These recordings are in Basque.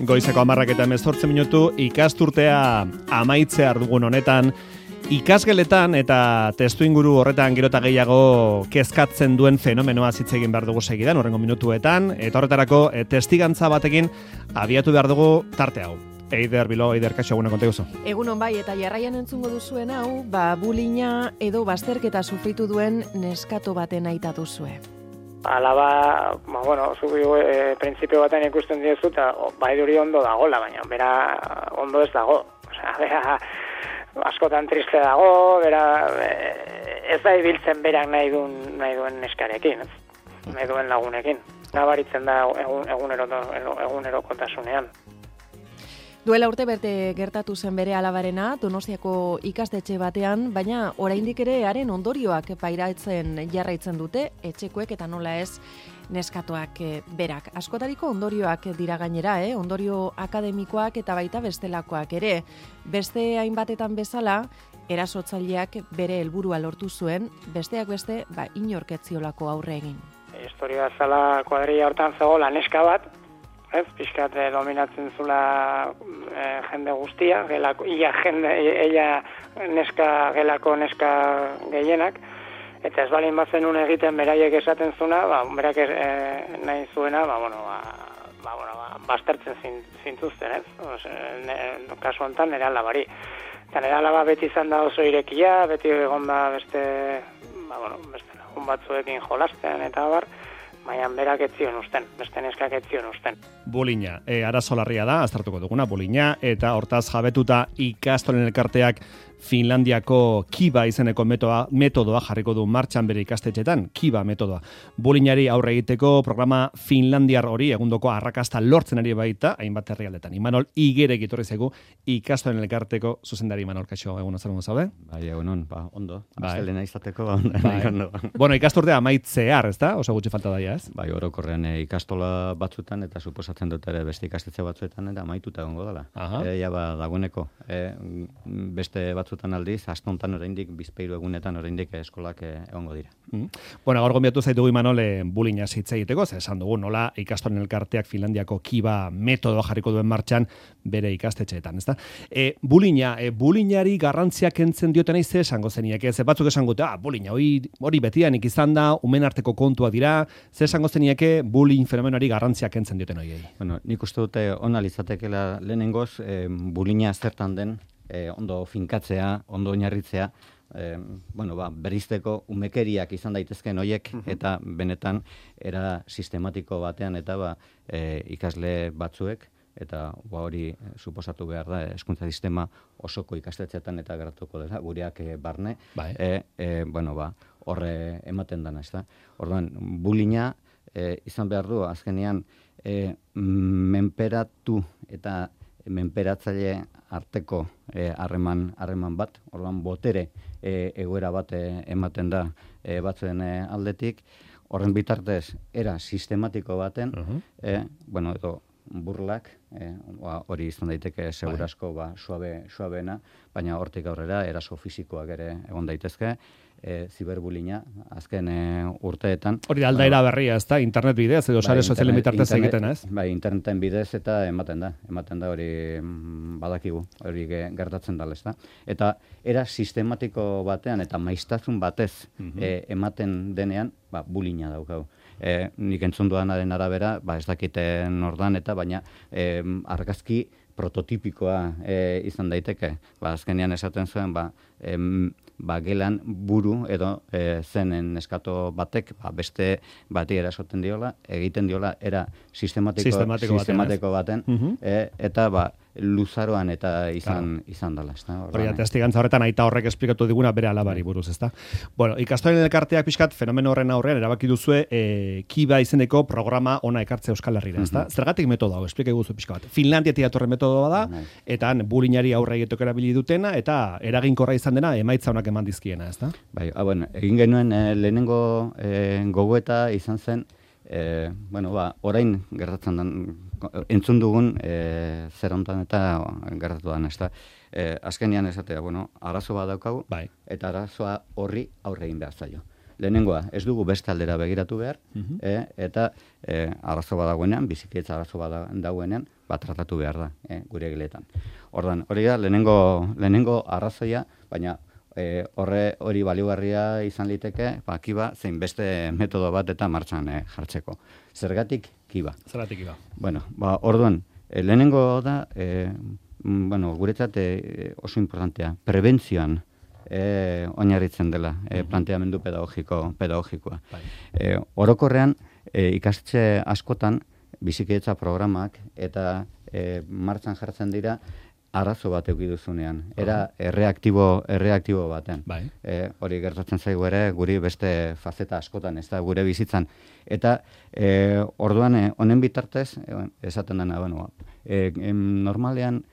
Goizeko 10:18 ikasturtea amaitzear dugun honetan, ikasgeletan eta testuinguru horretan gero eta gehiago kezkatzen duen fenomenoa hitz egin behar dugu segidan, horrengo minutuetan, eta horretarako testigantza batekin abiatu behar dugu tarte hau. Eider Bilo, Eider, kaixo, egunon konta guzu. Egunon bai, eta jarraian entzungo duzuen hau, bullyinga edo bazterketa sufritu duen neskato baten aita duzue. Alaba, printzipio baten ikusten diezu, eta baiduri ondo dagola, baina bera ondo ez dago. Osea, bera askotan triste dago, bera ez da ibiltzen berak nahi duen neskarekin, nahi duen lagunekin. Nabaritzen da egunerokotasunean. Duela urte berte gertatu zen bere alabarena, Donostiako ikastetxe batean, baina oraindik ere haren ondorioak pairatzen jarraitzen dute, etxekoek eta nola ez neskatoak berak. Askotariko ondorioak dira gainera, ondorio akademikoak eta baita bestelakoak ere. Beste hainbatetan bezala, erasotzaileak bere helburua lortu zuen, besteak beste, inork ez ziolako aurre egin. Historia zala kuadrilla hortan zegoela neska bat, pixkat dominatzen zula jende guztia, gelako neska gehienak, eta ez balin bazenun egiten beraiek esaten zuna, berak nahi zuena, baztertzen zintuzten, kasu honetan nire alabari. Eta nire alaba beti izan da oso irekia, beti egon da beste lagun batzuekin jolasten eta bar, baina berak etzion usten, beste neskak etzion usten. Bullyinga, arazo larria da, aztertuko duguna, bullyinga, eta hortaz jabetuta ikastolen elkarteak Finlandiako Kiba izeneko metodoa jarriko du martxan bere ikastetxetan, Kiba metodoa. Bullyingari aurre egiteko programa finlandiar hori egundoko arrakasta lortzen ari baita, hainbat herrialdetan. Imanol Igerek etorri zaigu ikastolen elkarteko zuzendari. Imanol, kaixo, egunon zer zaude? Bai, egunon, ondo. Astelena izateko ondo. Bueno, ikasturtea amaitzear, ezta? Oso gutxi falta daia, ez? Bai, orokorrean ikastola batzuetan eta suposatzen dut ere beste ikastetxe batzuetan eta amaituta egongo dela. Dagoeneko, beste batzuetan aldiz, astontan oraindik bizpahiru egunetan oraindik eskolak egongo dira. Bueno, gaur gonbidatu zaitugu Imanol bullyinga hitz egiteko, ze esan dugu nola ikastolen elkarteak Finlandiako Kiba metodoa jarriko duen martxan bere ikastetxeetan, ezta? Bullyingari garrantzia kentzen diotenei ze esango zenieke, ze batzuk esango dute, bullyinga hori betidanik izan da, umen arteko kontua dira, ze esango zenieke bullying fenomenoari garrantzia kentzen dioten horiei. Bueno, nik uste dute ona litzatekeela lehenengoz bullyinga zertan den, ondo finkatzea, ondo oinarritzea, berizteko umekeriak izan daitezkeen horiek, eta benetan era sistematiko batean eta ikasle batzuek, eta hori suposatu behar da, hezkuntza sistema osoko ikastetxeetan eta geratuko dela, gureak barne, horre ematen dana, ez da. Orduan, bullyinga izan behar du, azkenean, menperatu eta menperatzaile arteko harreman bat, orduan botere egoera bat ematen da batzuen aldetik, horren bitartez era sistematiko baten, edo burlak, hori izan daiteke segurasko suabeena, baina hortik aurrera eraso fisikoak ere egon daitezke, ziberbullyinga azken urteetan. Hori aldaera berria, ez da, internet bidez edo sare sozialen bitartez egiten, ez? Bai, interneten bidez eta ematen da hori badakigu, hori gertatzen dala, ez da. Eta era sistematiko batean eta maiztasun batez ematen denean, bullyinga daukau. Nik entzun duanaren arabera, ez dakiten ordan eta baina argazki prototipikoa izan daiteke. Azkenean esaten zuen, gelan buru edo zenen neskato batek beste bati erasoten diola, egiten diola era sistematiko baten, eta luzaroan eta izan dela. Hori, testigantza horretan aita horrek esplikatu diguna bere alabari buruz, ezta? Bueno, ikastolen elkarteak pixkat fenomeno horren aurrean erabaki duzue Kiba izeneko programa ona ekartze Euskal Herrira, ezta? Zergatik metodo hau, esplika guzu pixka bat. Finlandiatik datorren metodoa da, eta bullyingari aurre egiteko erabili dutena, eta eraginkorra izan dena emaitza onak eman dizkiena, ezta? Bai, egin genuen lehenengo gogoeta izan zen, orain gertatzen den, entzun dugun zer hontan eta gertatu den, ezta? Azkenean esatea, arazo bat daukagu, eta arazoa horri aurre egin behar zaio. lehenengoa, ez dugu beste aldera begiratu behar, eta arazo badagoenean, bizikidetza arazo badagoenean, tratatu behar da, gure egiletan. Ordan, hori da, lehenengo arrazoia, baina hori baliogarria izan liteke, kiba, zein beste metodo bat eta martxan jartzeko. Zergatik kiba? Zergatik kiba? Bueno, orduan, lehenengo da, guretzat oso importantea, prebentzioan oinarritzen dela planteamendu pedagogikoa. Orokorrean, ikastetxe askotan, bizikidetza programak eta martxan jartzen dira arazo bat eukiduzunean. Era erreaktibo baten. Hori gertatzen zaigu ere guri beste fazeta askotan, ez da gure bizitzan. Eta orduan honen bitartez, esaten dena, normalean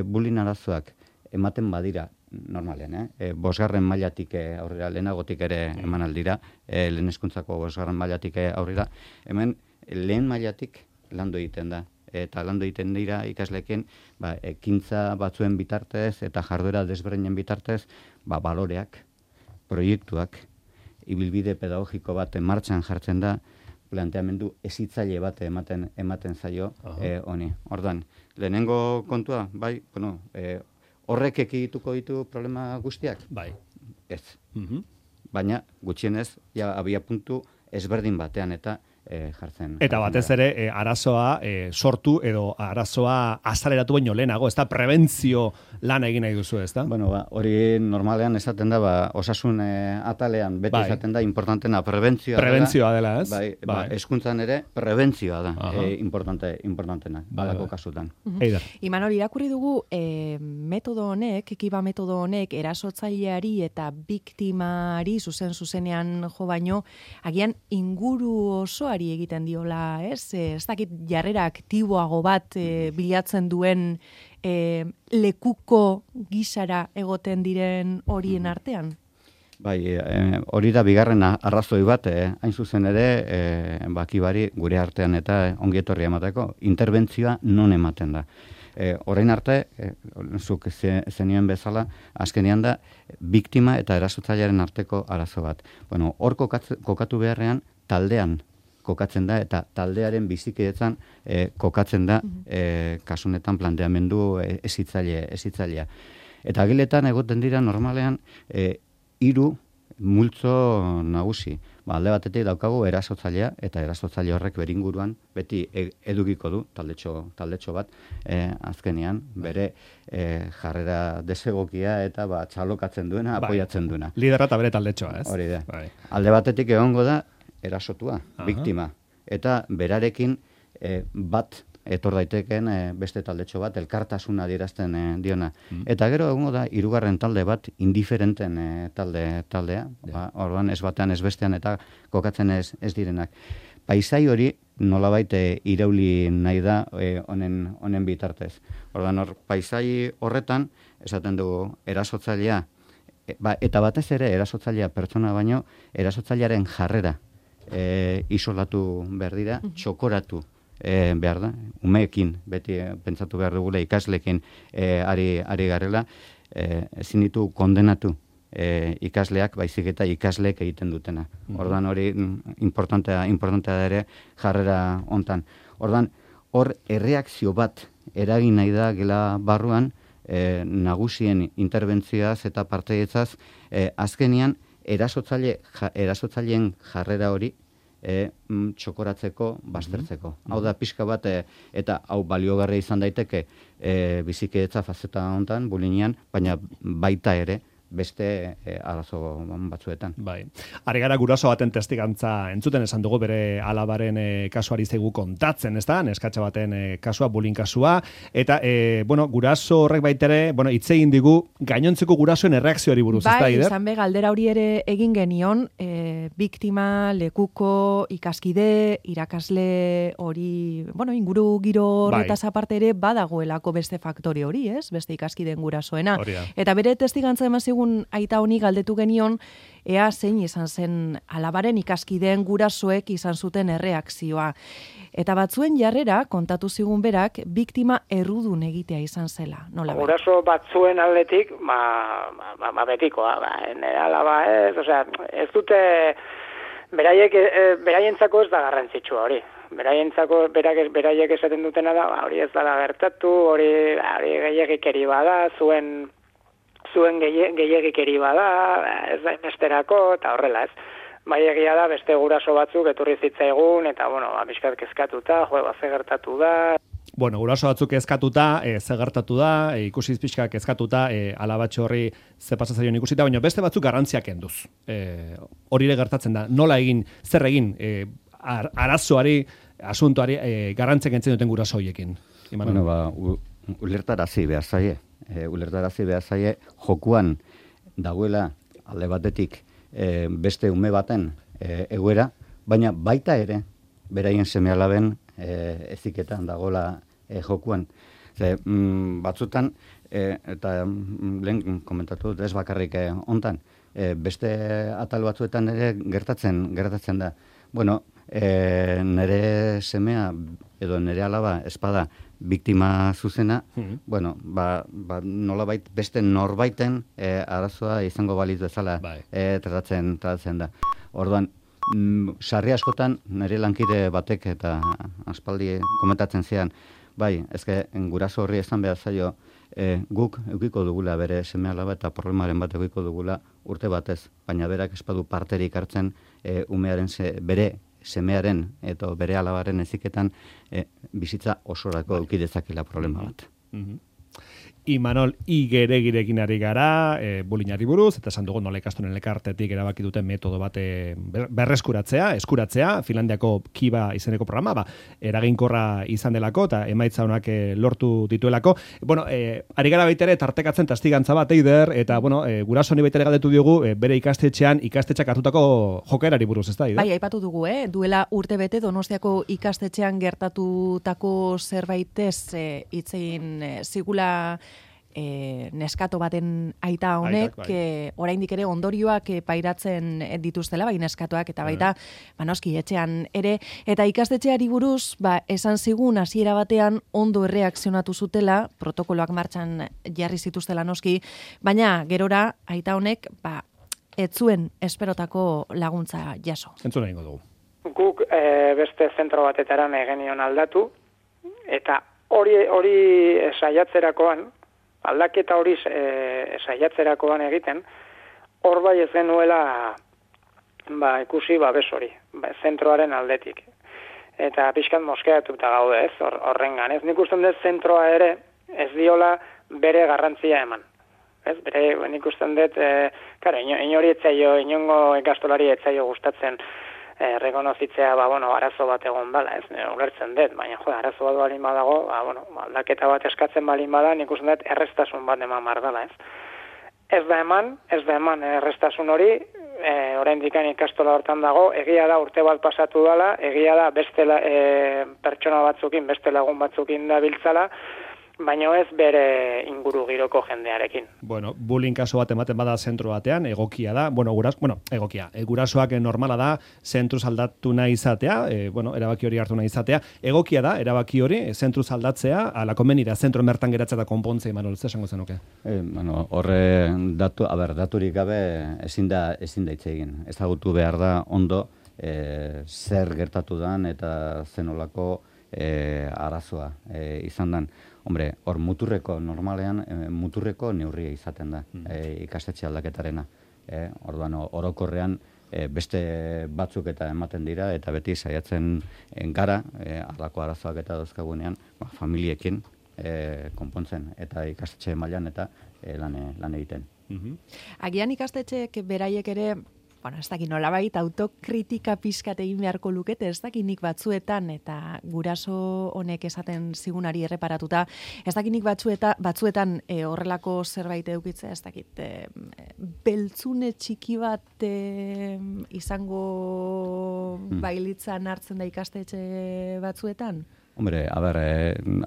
bullying arazoak ematen badira, normalean, 5. mailatik aurrera, lehenagotik ere eman aldira, lehen hezkuntzako 5. mailatik aurrera, hemen lehen mailatik landu egiten da. Eta landu egiten dira ikasleekin ekintza batzuen bitartez eta jarduera desberdinen bitartez baloreak, proiektuak, ibilbide pedagogiko bat martxan jartzen da, planteamendu hezitzaile bat ematen zaio honi. Ordan, lehenengo kontua, horrek ekidituko ditu problema guztiak? Bai. Ez. Baina gutxienez, abia puntu ezberdin batean eta jartzen. Eta batez ere, arazoa sortu edo arazoa azaleratu baino lehenago, ez da prebentzio lan egin nahi duzu, ez da? Hori normalean esaten da, osasun atalean, beti esaten da, importantena prebentzioa dela, ez? Hezkuntzan ere, prebentzioa da, importantena, balako kasutan. Imanol, irakurri dugu, metodo honek, kiba metodo honek, erasotzaileari eta biktimari zuzenean jo baino, agian inguru osoari egiten diola, ez? Ez dakit jarrera aktiboago bat bilatzen duen lekuko gisara egoten diren horien artean? Hori da bigarren arrazoi bat, hain zuzen ere, kibari gure artean eta ongietorria emateko, interbentzioa non ematen da. Orain arte, zuk zenioen bezala, azkenean da, biktima eta erasotzailearen arteko arazo bat. Hor kokatu beharrean, taldean kokatzen da, eta taldearen bizikidetzan kokatzen da, kasunetan planteamendu hezitzailea. Eta giletan egoten dira normalean 3 multzo nagusi. Alde batetik daukagu erasotzailea, eta erasotzaile horrek beringuruan beti edukiko du taldetxo bat, azkenean bere jarrera desegokia eta txalokatzen duena, apoiatzen duena. Liderra eta bere taldetxoa, ez? Hori da. Alde batetik egongo da erasotua, biktima, eta berarekin bat etor daiteken beste taldetxo bat, elkartasuna adierazten diona. Eta gero egongo da 3. talde bat, indiferenten taldea, orduan ez batean ez bestean eta kokatzen ez direnak. Paisai hori nolabait irauli nahi da honen bitartez. Orduan paisai horretan, esaten dugu erasotzailea, eta batez ere erasotzailea pertsona baino, erasotzailearen jarrera isolatu behar dira, txokoratu behar da, umeekin, beti pentsatu behar dugula ikaslekin ari garela, ezin ditu kondenatu ikasleak, baizik eta ikasleek egiten dutena. Ordan hori importantea da ere jarrera hontan. Ordan hor erreakzio bat eragin nahi da gela barruan, nagusien interbentzioaz eta parteidetzaz, azkenian erasotzaileen jarrera hori txokoratzeko, baztertzeko. Hau da, pixka bat, eta hau baliogarria izan daiteke bizikidetza fazeta hontan, bullyingean, baina baita ere, beste arazo batzuetan. Bai. Ari gara guraso baten testigantza entzuten esan dugu bere alabaren kasuari zaigu kontatzen, ez da? Neskatxa baten kasua, bullying kasua, eta, guraso horrek baitere, hitz egin digu gainontzeko gurasoen erreakzioari buruz, ez da, Ider? Bai, izan be, galdera hori ere egin genion, biktima, lekuko, ikaskide, irakasle hori, inguru giro horretaz aparte ere badagoelako beste faktore hori, ez? Beste ikaskideen gurasoena. Eta bere testigantza emazigu aita honi galdetu genion, ea zein izan zen alabaren ikaskideen gurasoek izan zuten erreakzioa. Eta batzuen jarrera, kontatu zigun berak, biktima errudun egitea izan zela. Nola bai? Guraso batzuen aldetik, betikoa, nire alaba ez, osea, ez dute, beraientzako ez da garrantzitsua hori. Beraiek esaten dutena da, hori ez dala gertatu, hori gehiagikeri bada, zuen gehiagikeri bada, ez da inesterako, eta horrela ez. Bai egia da, beste guraso batzuk eturri zitzaigun, eta, bizkat kezkatuta, ze gertatu da. Bueno, guraso batzuk kezkatuta, ze gertatu da, ikusiz pixka kezkatuta, alabatxo horri ze pasazaion ikusita, baina beste batzuk garrantziak enduz. Hori ere gertatzen da, nola egin, zer egin, arazoari, asuntoari, garrantziak entzen duten guraso horiekin. Bueno, ulertarazi behar zaie. Jokuan dagoela alde batetik beste ume baten egoera, baina baita ere, beraien seme-alaben eziketan dagoela jokuan. Batzutan, eta lehen komentatu dut ez bakarrik hontan, beste atal batzuetan ere gertatzen da. Bueno, nere semea edo nere alaba espada biktima zuzena, bueno, nolabait beste norbaiten arazoa izango baliz bezala tratatzen da. Orduan, sarri askotan nire lankide batek eta aspaldi komentatzen zian, ezke guraso horri esan behar zaio, guk eukiko dugula bere seme alaba eta problemaren bat eukiko dugula urte batez, baina berak espadu parterik hartzen umearen bere semearen eta bere alabaren eziketan bizitza osorako eduki dezakela problema bat. Imanol Igeregirekin ari gara, bulinari buruz, eta esan dugu nola ikastolen elkartetik erabaki duten metodo bat eskuratzea, Finlandiako Kiba izeneko programa, eraginkorra izan delako, eta emaitza honak lortu dituelako. Bueno, ari gara baitere tartekatzen tastigantza bat, Eider, eta guraso honi baitere galdetu diogu, bere ikastetxeak hartutako jokaerari buruz, ez da, Eider? Bai, aipatu dugu, duela urte bete Donostiako ikastetxean gertatutako zerbaitez hitzein zigula neskato baten aita honek, oraindik ere ondorioak pairatzen dituztela, bai neskatoak eta baita, noski etxean ere, eta ikastetxeari buruz, esan zigun hasiera batean ondo erreakzionatu zutela, protokoloak martxan jarri zituztela noski, baina gerora aita honek, ez zuen esperotako laguntza jaso. Entzuna ingo dugu. Guk beste zentro batetaran egenion aldatu, eta hori saiatzerakoan, aldaketa hori saiatzerakoan egiten, hor bai ez genuela ikusi babes hori, zentroaren aldetik. Eta pixkat moskeatuta gaude ez, horrengan. Ez nik usten dut zentroa ere ez diola bere garrantzia eman. Ez, nik usten dut, inori etzaio, inongo ikastolari etzaio gustatzen rekonozitzea, arazo bat egon bala, ez, ulertzen dut, baina, arazo bat balin badago, aldaketa bat eskatzen balin bada, nik usten dut errestasun bat eman mardala, ez. Ez da eman errestasun hori, oraindik ikastola hortan dago, egia da urte bat pasatu dela, egia da beste pertsona batzukin, beste lagun batzukin da biltzala, baina ez bere inguru giroko jendearekin. Bueno, bullying kaso bat ematen bada zentro batean, egokia da, gurasoak normala da, zentruz aldatu nahi izatea, erabaki hori hartu nahi izatea, egokia da, erabaki hori, zentruz aldatzea, ala konbenira, zentro mertan geratzea da konpontze, Imanol, ze esango zenuke? Horre daturik gabe ezin da hitz egin. Ezagutu behar da ondo zer gertatu dan eta zenolako arazoa izan dan. Hombre, hor normalean muturreko neurria izaten da ikastetxe aldaketarena. Orduan, orokorrean beste batzuk eta ematen dira, eta beti saiatzen gara, halako arazoak eta dauzkagunean, familiekin konpontzen, eta ikastetxe mailan eta lan egiten. Agian ikastetxeek beraiek ere, ez dakit nolabait autokritika pixkat egin beharko lukete, ez dakit nik batzuetan, eta guraso honek esaten zigunari erreparatuta, ez dakit nik batzuetan horrelako zerbait edukitzea, ez dakit beltzune txiki bat izango bailitzan hartzen da ikastetxe batzuetan? Hombre,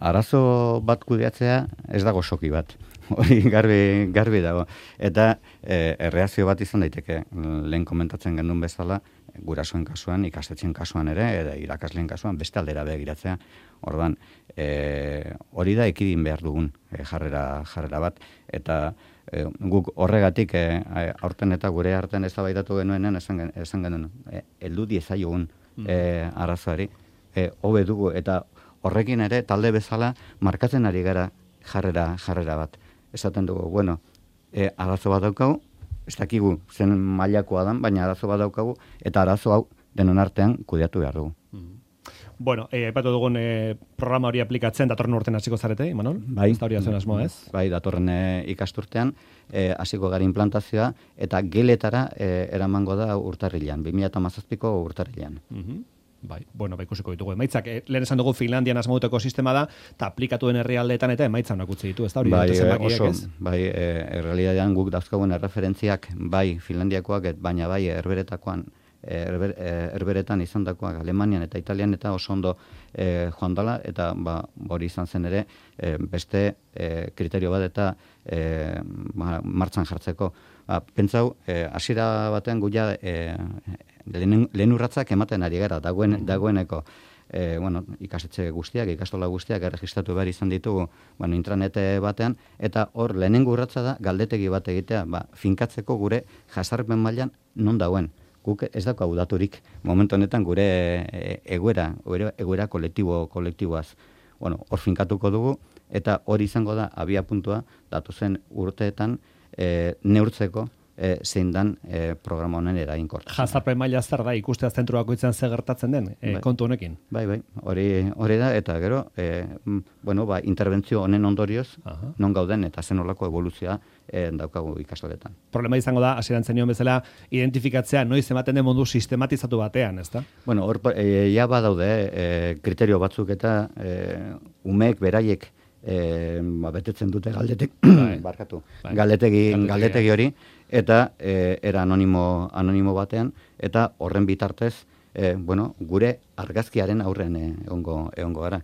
arazo bat kudeatzea ez dago soki bat. Hori garbi dago. Eta erreakzio bat izan daiteke, lehen komentatzen genuen bezala, gurasoen kasuan, ikastetxen kasuan ere, eta irakasleen kasuan, beste aldera begiratzea. Orduan, hori da ekidin behar dugun jarrera bat. Eta guk horregatik aurten eta gure artean eztabaidatu genuenean esan genuen, heldu diezaiogun arazoari, hobe dugu, eta horrekin ere talde bezala markatzen ari gara jarrera bat. Esaten dugu, bueno, arazo bat daukagu, ez dakigu zen mailakoa dan, baina arazo bat daukagu, eta arazo hau denon artean kudeatu behar dugu. Bueno, aipatu dugun programa hori aplikatzen datorren urtean hasiko zarete, Imanol? Bai. Ez da hori azuen asmoa, ez? Bai, datorren ikasturtean hasiko gara implantazioa, eta geletara eramango da urtarrilean, 2017ko urtarrilean. Bai, bueno, ikusiko ditugu emaitzak. Lehen esan dugu Finlandian asmauteko sistema da, eta aplikatu den herrialdeetan eta emaitza onak utzi ditu, ez da hori? Bai, errealitatean guk dauzkagun erreferentziak, bai Finlandiakoak, baina bai herberetakoan, herberetan izandakoak Alemanian eta Italian eta oso ondo joan dela, eta hori izan zen ere beste kriterio bat eta martxan jartzeko. Pentsau, hasiera batean guia lehen urratzak ematen ari gara, dagoeneko ikastetxe guztiak, ikastola guztiak erregistratu behar izan ditugu intranete batean, eta hor lehenengo urratza da galdetegi bat egitea, finkatzeko gure jazarpen mailan non dagoen. Guk ez daukagu daturik momentu honetan gure egoera kolektiboaz. Hor finkatuko dugu, eta hori izango da abia puntua datozen urteetan neurtzeko zein dan programa honen eraginkortasuna. Jazarpen maila zer da ikustea zentru bakoitzean zer gertatzen den kontu honekin. Bai, hori da, eta gero interbentzio honen ondorioz non gauden eta zen olako evoluzioa daukagu ikastoletan. Problema izango da, hasieran zenion bezala, identifikatzea noiz ematen den mundu sistematizatu batean, ezta? Bueno, hor ja badaude kriterio batzuk eta umeek beraiek betetzen dute galdetegi hori, eta era anonimo batean, eta horren bitartez, gure argazkiaren aurren egongo gara.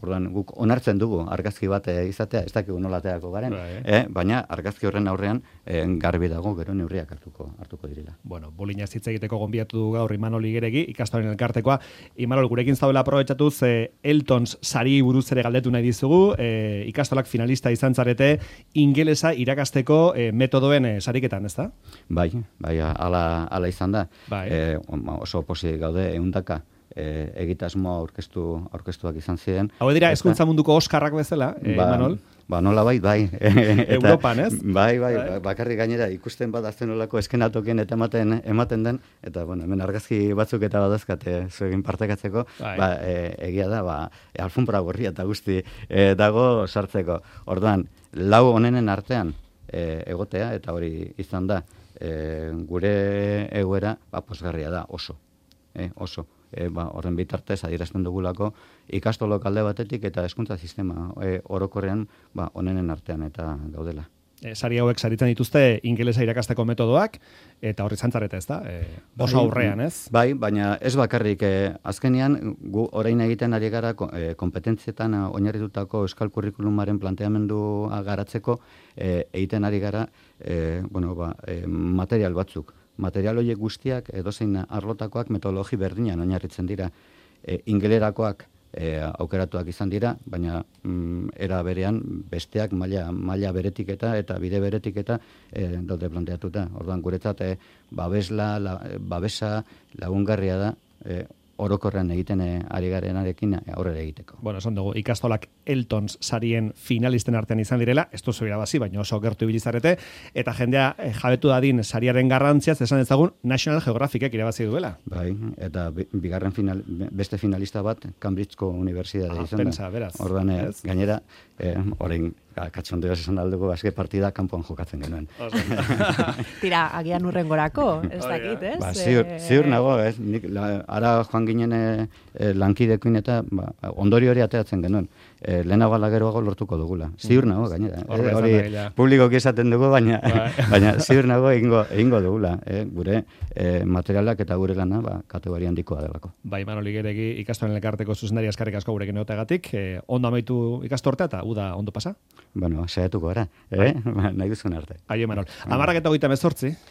Orduan, guk onartzen dugu argazki bat izatea, ez dakigu nolateako garen, baina argazki horren aurrean garbi dago gero neurriak hartuko direla. Bueno, Bolina hitz egiteko gonbidatu du gaur Imanol Igeregi, ikastolen elkartekoa. Imanol, gurekin zaudela aprobetxatuz, Eltons sari buruz ere galdetu nahi dizugu, ikastolak finalista izan zarete, ingelesa irakasteko metodoen sariketan, ez da? Bai, ala izan da. Oso posi gaude 100 egitasmoa aurkeztuak izan ziren. Hau dira, hezkuntza munduko Oskarrak bezala, Imanol? Nola bai. Europan, ez? Bai, bakarrik gainera ikusten bat azten olako eskenatokien eta ematen den, eta hemen argazki batzuk eta badazkat zuegin partekatzeko, egia da, alfombra gorria eta guzti dago sartzeko. Orduan, 4 honenen artean egotea, eta hori izan da, gure egoera posgarria da, oso. Horren bitartez adierazten dugulako ikastolok alde batetik eta hezkuntza sistema orokorrean onenen artean eta gaudela. Sari hauek saritzen dituzte ingelesa irakasteko metodoak, eta horri zantzareta, ez da? Oso aurrean, ez? Bai, baina ez bakarrik azkenean, gu orain egiten ari gara kompetentzietan oinarritutako euskal kurrikulumaren planteamendua garatzeko egiten ari gara material batzuk. Material horiek guztiak edozein arlotakoak metodologi berdinan oinarritzen dira. Ingelerakoak aukeratuak izan dira, baina era berean besteak maila beretik eta bide beretik eta daude planteatuta. Orduan guretzat babesa lagungarria da orokorrean egiten ari garenarekin aurrera egiteko. Bueno, esan dugu, ikastolak Eltons sarien finalisten artean izan direla, ez duzu irabazi, baina oso gertu ibilizarete, eta jendea jabetu dadin sariaren garrantziaz, esan ezagun National Geographicek irabazi duela. Bai, eta beste finalista bat, Cambridgeko Unibertsitatea izan da. Pensa, beraz. Orduan, gainera, orain katxondeoz esan dalduko, azke partida kanpoan jokatzen genuen. Tira, agian urrengorako, ez dakit, ez? Ziur nago, ez? Ara joan ginen lankidekoin eta ondori hori ateratzen genuen. lehenago ala geroago lortuko dugula. Ziur nago, gainera. Hor Hori publikoki esaten dugu, baina ziur nago egingo dugula. Gure materialak eta gure lana kategoria handikoa delako. Bai, Manoli Geregi ikastolen elkarteko zuzendari eskarrik asko gurekin egoteagatik. Ondo amaitu ikastortea eta uda ondo pasa? Bueno, saiatuko gara, nahi duzun arte. Aio, Manol. 10:38